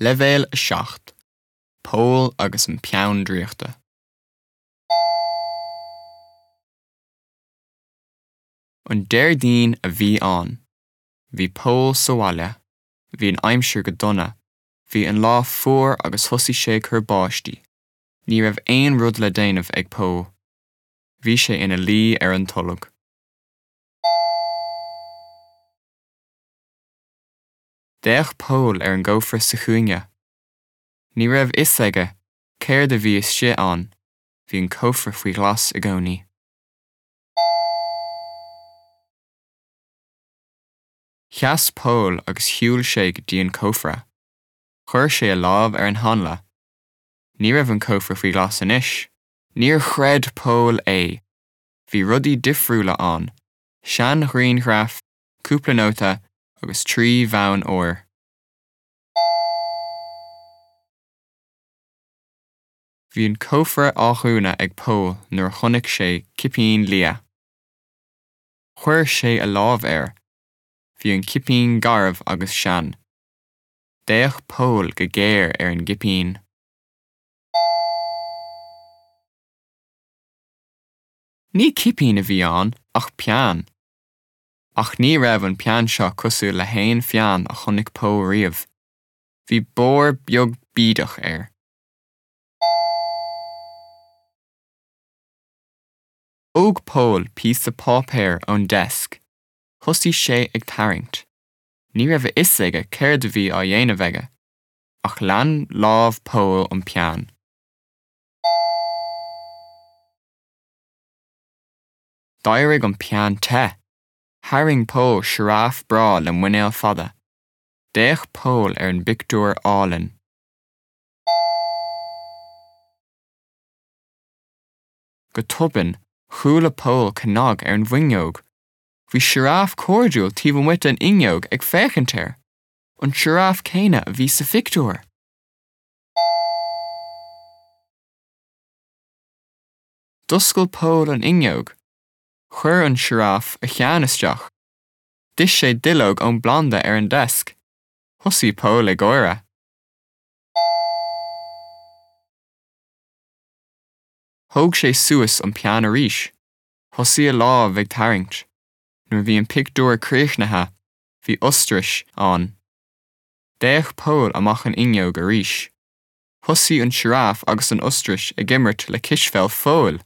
Leibhéal 7, Pól agus an Peann Draíochta. An Déardaoin a bhí ann. Bhí Pól sa bhaile. Bhí an aimsir go dona. Bhí an lá fuar agus thosaigh sé ag cur báistí. Ní raibh aon rud le déanamh ag Pól. Bhí sé ina luí ar an tolg. D'fhéach Pól ar an gcófra sa chúinne. Ní raibh fhios aige céard a bhí istigh ann, bhí an cófra faoi ghlas i gcónaí. Sheas Pól agus shiúil sé go dtí an cófra. Chuir sé a lámh ar an hanla. Ní raibh an cófra faoi ghlas anois. Níor chreid Pól é! Bhí rudaí difriúla ann, seanghrianghraf, cúpla nóta agus 3 bhonn óir. Bhí an cófra á dhúnadh ag Pól nuair a chonaic sé cipín liath. Chuir sé a lámh air. Bhí an cipín garbh agus sean. D'fhéach Pól go géar ar an gcipín. Ní cipín a bhí ann ach peann. Ach ní raibh an peann seo cosúil le haon pheann a chonaic Pól riamh. Bhí barr beag bídeach air. Thóg Pól píosa páipéir ón deasc. Thosaigh sé ag tarraingt. Ní raibh a fhios aige céard a bhí á dhéanamh aige. Ach lean lámh Pól an peann. D'éirigh an peann te! Tharraing Pól sioráf breá le muinéal fada. D'fhéach Pól ar an bpictiúr álainn. Go tobann, chuala Pól cnag ar an bhfuinneog. Bhí sioráf cairdiúil taobh amuigh den fhuinneog ag féachaint air! An sioráf céanna a bhí sa phictiúr! D'oscail Pól an fhuinneog. Chuir an sioráf a cheann isteach. D'ith sé duilleog ón bplanda ar an deasc. Thosaigh Pól ag gáire. Thóg sé suas an peann arís. Thosaigh a lámh ag tarraingt. Nuair a bhí an pictiúr críochnaithe, bhí ostrais ann. D'fhéach Pól amach an fhuinneog arís. Thosaigh an sioráf agus an ostrais ag imirt le cispheil Phóil!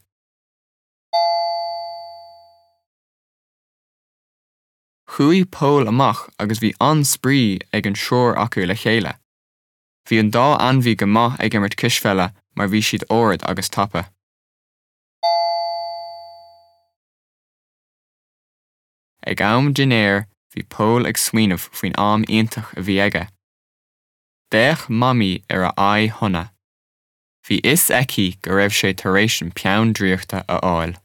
Chuaigh Pól amach agus bhí an-spraoi ag an triúr acu le chéile. Bhí an dá ainmhí go maith ag imirt cispheile mar bhí siad ard agus tapa. Ag am dinnéir bhí Pól ag smaoineamh faoin am iontach a bhí aige. D'fhéach Mamaí ar a aghaidh shona. Bhí fhios aici go raibh sé tar éis an peann draíochta a fháil.